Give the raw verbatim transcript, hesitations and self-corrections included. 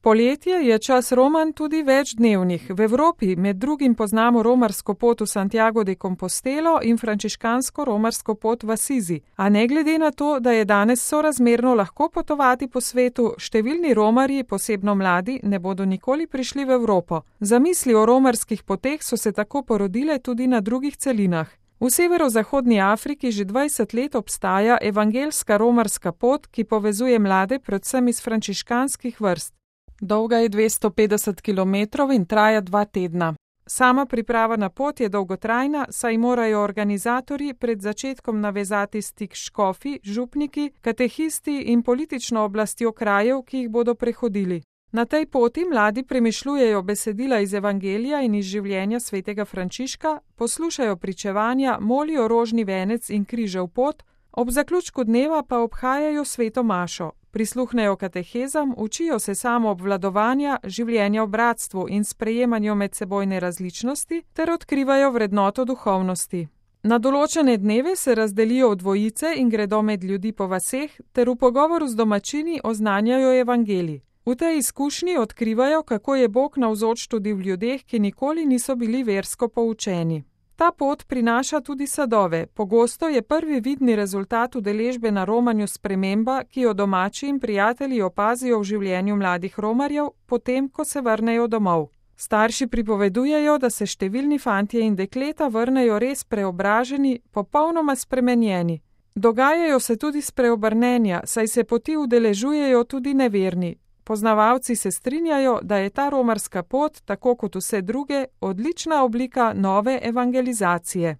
Poletje je čas romanj tudi večdnevnih. V Evropi med drugim poznamo romarsko pot v Santiago de Compostelo in frančiškansko romarsko pot v Asizi. A ne glede na to, da je danes sorazmerno lahko potovati po svetu, številni romarji, posebno mladi, ne bodo nikoli prišli v Evropo. Zamisli o romarskih poteh so se tako porodile tudi na drugih celinah. V severozahodni Afriki že dvajset let obstaja evangeljska romarska pot, ki povezuje mlade predvsem iz frančiškanskih vrst. Dolga je dvesto petdeset kilometrov in traja dva tedna. Sama priprava na pot je dolgotrajna, saj morajo organizatorji pred začetkom navezati stik s škofi, župniki, katehisti in politično oblastjo krajev, ki jih bodo prehodili. Na tej poti mladi premišljujejo besedila iz evangelija in iz življenja svetega Frančiška, poslušajo pričevanja, molijo rožni venec in križev pot, ob zaključku dneva pa obhajajo sveto mašo. Prisluhnejo katehezam, učijo se samoobvladovanja, življenja v bratstvu in sprejemanju medsebojne različnosti ter odkrivajo vrednoto duhovnosti. Na določene dneve se razdelijo v dvojice in gredo med ljudi po vaseh ter v pogovoru z domačini oznanjajo evangelij. V tej izkušnji odkrivajo, kako je Bog navzoč tudi v ljudeh, ki nikoli niso bili versko poučeni. Ta pot prinaša tudi sadove. Pogosto je prvi vidni rezultat udeležbe na romanju sprememba, ki jo domači in prijatelji opazijo v življenju mladih romarjev, potem, ko se vrnejo domov. Starši pripovedujejo, da se številni fantje in dekleta vrnejo res preobraženi, popolnoma spremenjeni. Dogajajo se tudi spreobrnenja, saj se poti udeležujejo tudi neverni. Poznavalci se strinjajo, da je ta romarska pot, tako kot vse druge, odlična oblika nove evangelizacije.